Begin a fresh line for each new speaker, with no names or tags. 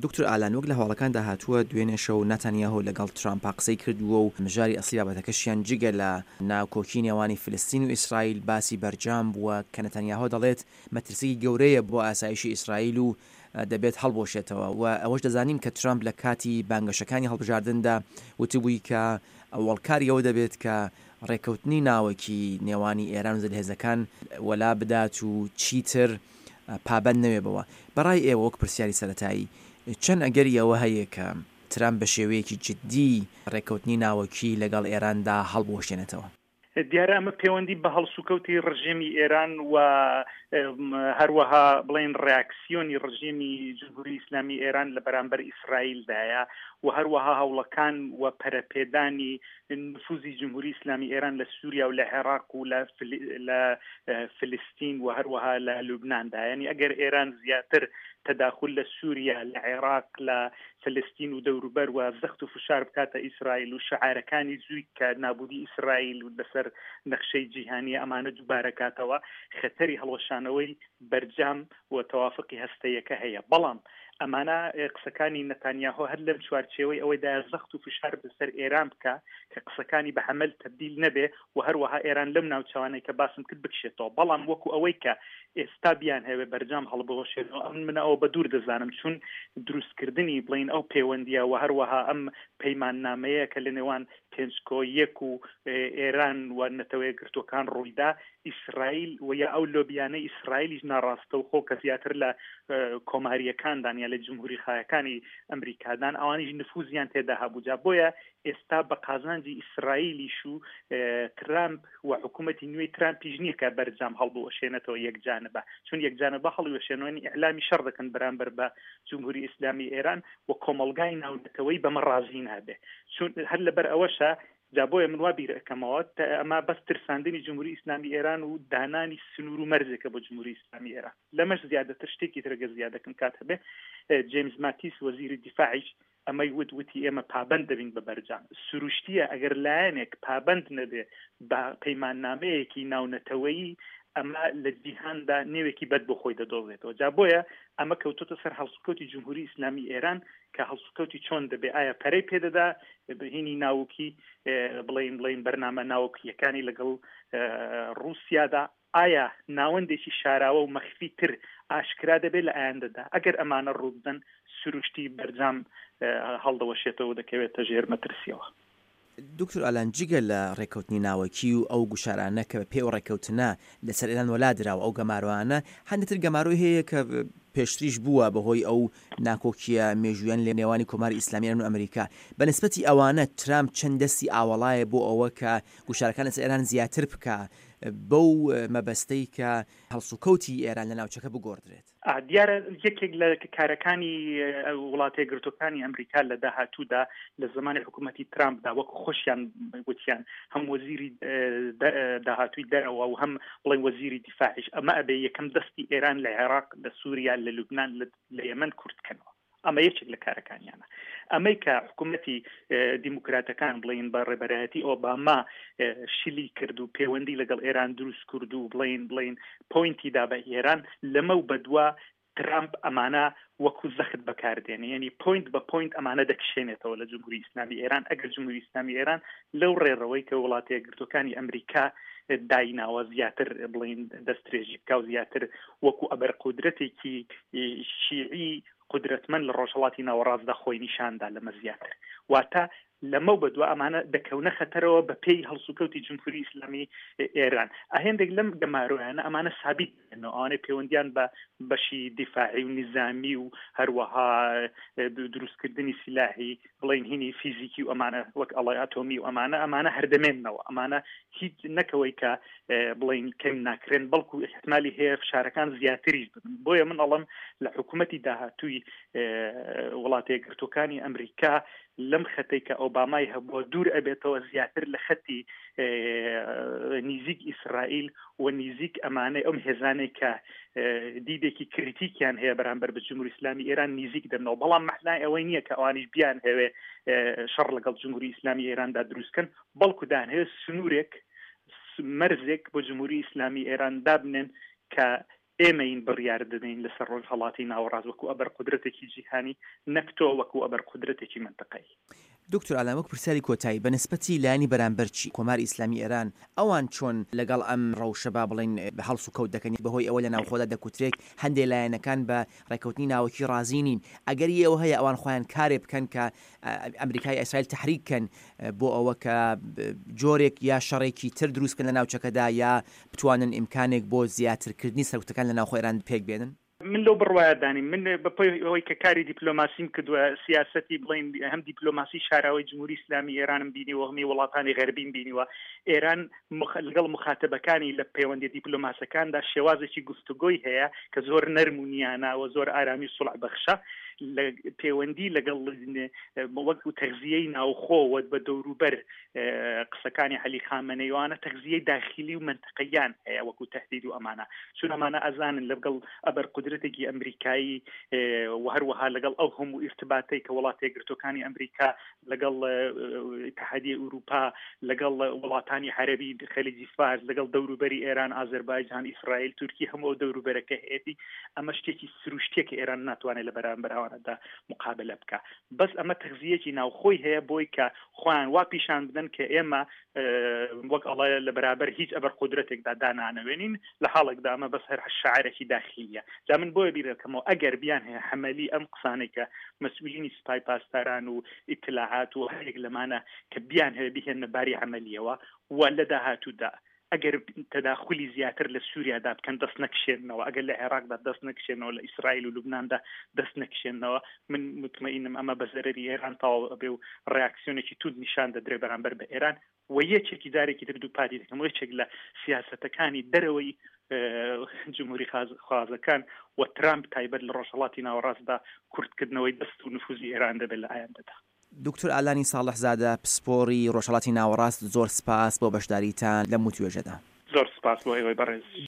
دکتۆر ئالان، وەک لە هەواڵەکاندا هاتووە، دوێنێ شەو ناتانیاهۆ لەگەڵ ترامپا قسەی کردووە و مژاری ئەسڵی بابەتەکەشیان جگە لە ناکۆکی نێوانی فلستین و ئیسرائیل باسی بەرجام بووە کە نەتانیاهۆ دەڵێت مەترسیی گەورەیە بۆ ئاسایشی ئیسرائیل و دەبێت هەڵبوەشێتەوە و ئەوەش دەزانین کە ترامپ لە کاتی بانگەشەکانی هەڵبژاردندا وتبووی کە ئەوەڵکاری ئەوە دەبێت کە ڕێککەوتنی ناوەکی نێوانی ئێران و زلهێزەکان وەلا بدات و چیتر پابەند نەوێ بەوە. بەڕای ئێوە وەک پرسیاری سەرەتایی چەند ئەگەری ئەوە هەیە کە ترامپ بە شێوەیەکی جددی ڕێککەوتنی ناوەکی لەگەڵ ئێراندا هەڵبوەشێنێتەوە؟
دیارە ئەمە پەیوەندی بە هەڵسوکەوتی ڕژێمی ئێران و هەروەها بڵێن ڕاکسیۆنی ڕژێمی جمهوری ئیسلامی ئێران لە بەرامبەر ئیسرائیلدایە و هەروەها هەوڵەکان و پەرەپێدانی نفوزی جمهوری ئیسلامی ئێران لە سووریا و لە عێراق و لە فلستین و هەروەها لە لوبناندا. یعنی ئەگەر ئێران زیاتر تەداخل لە سووریا، لە عێراق، لە فلستین و دەوروبەر و زەخت و فشار بکاتە ئیسرائیل و شعارەکانی زووی کە نابودی ئیسرائیل و لەسەر نەخشەی جیهانی ئەمانە دووبارە کاتەوە، خەتەری هەڵوەشانەوەی بەرجام و تەوافقی هەستەیەکە هەیە. بەڵام ئەمانە قسەکانی نەتانیاهۆ هەر لەم چوارچێوەی ئەوەیدایە زەخت و فشار بەسەر ئێران بکا کە قسەکانی بە عەمەل تەبدیل نەبێ و هەروەها ئێران لەم ناوچەوانەی کە باسم کرد بکشێتەوە. بەڵام وەکو ئەوەی کە ئێستا بیانهەوێ بەرجام هەڵبوەشێنەوە ئەمن من ئەوە بە دوور دەزانم، چون دروستکردنی بڵێین ئەو پەیوەندییە و هەروەها ئەم پەیماننامەیە کە لە نێوان پێنج کۆ یەک و ئێران و نەتەوەیەکگرتووەکان ڕوویدا، ئیسرائیل و یا ئەو لۆبیانەی ئیسرائیلیش ناڕاستەوخۆ کە زیاتر لە کۆمارییەکاندان یا لە جمهوریخایەکانی ئەمریکادان ئەوانیش نفوزیان تێدا هەبوو. جا بۆیە ئێستا بە قازانجی ئیسرائیلیش و ترامپ و حکوومەتی نوێی ترامپیش نییە کە بەرجام هەڵبوەشێنێتەوە یەکجانبە، چون یەکجانبە هەڵیوەشێنەوە یعنی ئیعلامی شەڕ دەکەن بەرامبەر بە جمهوری ئیسلامی ئێران و کۆمەڵگای ناونەتەوەی بەمە ڕازی نابێ. چون هەر لەبەر ئەوەشە جا بۆیە من وا بیر ئەکەمەوە ئەمە بەس ترساندنی جمهوری ئیسلامی ئێران و دانانی سنوور و مەرجێکە بۆ جمهوری ئیسلامی ئێران. لەمەش زیادەتر شتێکی تر گەر زیادەکەم کات هەبێ، جەیمز ماتیس وەزیری دیفاعیش ئەمەی وت، وتی ئێمە پابەند دەبین بە بەرجام. سروشتییە ئەگەر لایەنێک پابەند نەبێ بە پەیماننامەیەکی ناونەتەوەیی ئەمە لە جیهاندا نێوێکی بەد بۆ خۆی دەدۆزێتەوە. جا بۆیە ئەمە کەوتۆتە سەر هەڵسوکەوتی جمهوری ئیسلامی ئێران کە هەڵسوکەوتی چۆن دەبێ، ئایا پەرەی پێدەدا هینی ناوکی بڵێین بڵێین بەرنامە ناوکییەکانی لەگەڵ ڕووسیادا، ئایا ناوەندێکی شاراوە و مەخفی تر ئاشکرا دەبێت لە ئایندەدا؟ ئەگەر ئەمانە ڕووبدەن سروشتی بەرجام هەڵدەوەشێتەوە و دەکەوێتە ژێر مەترسیەوە.
دکتۆر ئالان جگە لە ڕێککەوتنی ناوەکی و ئەو گوشارانە کە بە پێی ئەو ڕێککەوتنە لەسەر ئێران وەلا دراوە ئەو گەمارۆانە هەندێک تر گەمارۆی هەیە کە پێشتریش بووە بەهۆی ئەو ناکۆکییە مێژوویان لە نێوانی کۆماری ئیسلامی ئێران و ئەمریکا بە نسبەتی ئەوانە ترامپ چەند دەستی ئاوەڵایە بۆ ئەوە کە گوشارەکان لەسەر ئێران زیاتر بکا بەو مەبەستەی کە هەڵسوکەوتی ئێران لە ناوچەکە بگۆڕدرێت.
دیارە یەکێک لە کارەکانی وڵاتە یەکگرتووەکانی ئەمریکا لە داهاتوودا لە زمانی حکوومەتی ترامپدا وەک خۆشیان وتیان هەم وەزیری داهاتووی دەرەوە و هەم بڵێن وەزیری دیفاعیش ئەمە ئەبێ یەکەم دەستی ئێران لە عێراق لە سووریا لە لوبناان لە یەمەن کورت کەنەوە. ئەمە یەکێک لە کارەکانیانە. ئەمەی کە حکوومەتی دیموکراتەکان بڵین بە ڕێبەرایەتی ئۆباما شلی کرد و پەیوەندی لەگەڵ ئێران دروست کرد و بڵین بڵین پوینتی دا بە ئێران لەمە و بەدوا ترامپ ئەمانە وەکو زەخت بەکاردێنێ، یعنی پوینت بە پوینت ئەمانە دەکشێنێتەوە لە جمهوری ئیسلامی ئێران ئەگەر جمهوری ئیسلامی ئێران لەو ڕێڕەوەی کە وڵاتە یەکگرتووەکانی ئەمریکا دایناوە زیاتر بڵین دەستدرێژی بکا و زیاتر وەکو ئەبەر قودرەتێکی شیعی قودرەتمەند لە ڕۆژهەڵاتی ناوەڕاستدا خۆی نیشاندا لەمە زیاتر واتە لەمەو بەدوا ئەمانە دەکەونە خەتەرەوە بە پێی هەڵسوکەوتی جمهوری ئیسلامی ئێران. هێندێک لەم گەمارۆیانە ئەمانە سابیت دەبنەوە، ئەوانەی پەیوەندیان بە بەشی دیفاعی و نیزامی و هەروەها دروستکردنی سیلاحی بڵێین هینی فیزیکی و ئەمانە وەک ئەڵای ئەتۆمی و ئەمانە ئەمانە هەردەمێنەوە ئەمانە هیچ نەکەوەی کە بڵین کەم ناکرێن بەڵکو احتمالی هەیە فشارەکان زیاتریش ببن بۆیە من ئەڵم لە حکوومەتی داهاتووی وڵاتە یەکگرتووەکانی ئەمریکا لەم خەتەی کە ئۆبامای هەبووە دوور ئەبێتەوە زیاتر لە خەتی نیزیک ئیسرائیل و نیزیک ئەمانەی ئەم هێزانەی کە دیدێکی کریتیکیان هەیە بەرامبەر بە جمهوری ئیسلامی ئێران نیزیک دەبنەوە بەڵام مەعنای ئەوەی نییە کە ئەوانیش بیان هەوێ شەڕ لەگەڵ جمهوری ئیسلامی ئێراندا دروستکەن بەڵکو دانهەوێ سنوورێک مەرزێک بۆ جمهوری ئیسلامی ئێران دابنێن کە. ئێمەین بڕیار دەدەین لەسەر ڕۆژهەڵاتی ناوەڕاست وەکو ئەبەر قودرەتێکی جیهانی نەک تۆ وەکو ئەبەر قودرەتێکی مەنتەقەیی.
دکتۆر ئالان وەک پرسیاری کۆتایی بە نسبەتی لایەنی بەرامبەر چی؟ کۆماری ئیسلامی ئێران ئەوان چۆن لەگەڵ ئەم ڕەوشە با بڵێین هەڵس و کەوت دەکەن بە هۆی ئەوە لە ناوخۆدا دەکوترێک هەندێ لایەنەکان بە ڕێکەوتنی ناوەکی ڕازی نین ئەگەری ئەوە هەیە ئەوان خۆیان کارێ بکەن کە ئەمریکا یا ئیسرائیل تەحریک کەن بۆ ئەوە کە جۆرێک یا شەڕێکی تر دروست بکەن لە ناوچەکەدا یا بتوانن ئیمکانێک بۆ زیاترکردنی سەرکوتەکان لە ناوخۆی ئێران پێک بێنن؟
من لەو بڕوایەدا نیم. من بە پێی ئەوەی کە کاری دیپلۆماسیم کردووە، سیاسەتی بڵێین هەم دیپلۆماسی شاراوەی جمهوری ئیسلامی ئێرانم بینیوە، هەمی وڵاتانی غەربیم بینیوە. ئێران لەگەڵ موخاتەبەکانی لە پەیوەندیە دیپلۆماسەکاندا شێوازێکی گفتوگۆی هەیە کە زۆر نەرم و نیانە و زۆر ئارامی و سوڵح بەخشە. لە پەیوەندی لەگەڵ وەک تەغزیەی ناوخۆ و بە دەوروبەر قسەکانی عەلی خامەنەی وانە تەغزیەی داخیلی و مەنتقەیان هەیە وەکو تهدید و ئەمانە چون ئەمانە ئەزانن لەگەڵ ئەبەر قودرەتێکی ئەمریکایی و هەروەها لەگەڵ ئەو هەموو ئیرتباتەی کە وڵاتە یەکگرتووەکانی ئەمریکا لەگەڵ ئیتحادیە ئەوروپا لەگەڵ وڵاتانی عەربی خەلیجی فارس لەگەڵ دەوروبەری ئێران ئازەربایجان ئیسرائیل تورکی هەموو ئەو دەوروبەرەکە هەیەتی ئەمە شتێکی سروشتیە کە ئێران ناتوانێت لە بەرامبەر ئەوانەدا مقابلە بکە بەس ئەمە تەغزیەکی ناوخۆی هەیە بۆی کە خۆیان وا پیشان بدەن کە ئێمە وەک ئەڵێ لە بەرابەر هیچ ئەبەر قودرەتێکدا دانانەوێنین لە حاڵێکدا ئەمە بەس هەر شعرێکی داخلیە جا من بۆیە بیرەکەمەوە ئەگەر بیان هەیە حەمەلی ئەم قسانەی کە مەسئولینی سپای پاسداران و ئیتلاعات و هەرێک لەمانە کە بیان هەیە بهێنە باری عەمەلیەوە و لە داهاتوودا ئەگەر تەداخولی زیاتر لە سووریادا بکەن دەست نەکشێنەوە، ئەگەر لە عێراقدا دەست نەکشێنەوە، لە ئیسرائیل و لوبناندا دەست نەکشێنەوە، من موتمەئینم ئەمە بە زەرەری ئێران تەواو ئەبێ و ڕیاکسیۆنێکی توند نیشان دەدرێ بەرامبەر بە ئێران و یەکێکی جارێکی تر دووپاتی دەکەمەوە یەکێک لە سیاسەتەکانی دەرەوەی جمهوری خوازەکان و ترامپ تایبەت لە ڕۆژهەڵاتی ناوەڕاستدا کورتکردنەوەی دەست و نفوزی ئێران دەبێت لە ئایندەدا.
دوکتور ئالانی ساڵحزادە پسپۆڕی ڕۆژهەڵاتی ناوەڕاست زۆر سپاس بۆ بەشداریتان لەم وتوێژەدا.
زۆر سپاس بۆ ئێوەی بەڕێزیش.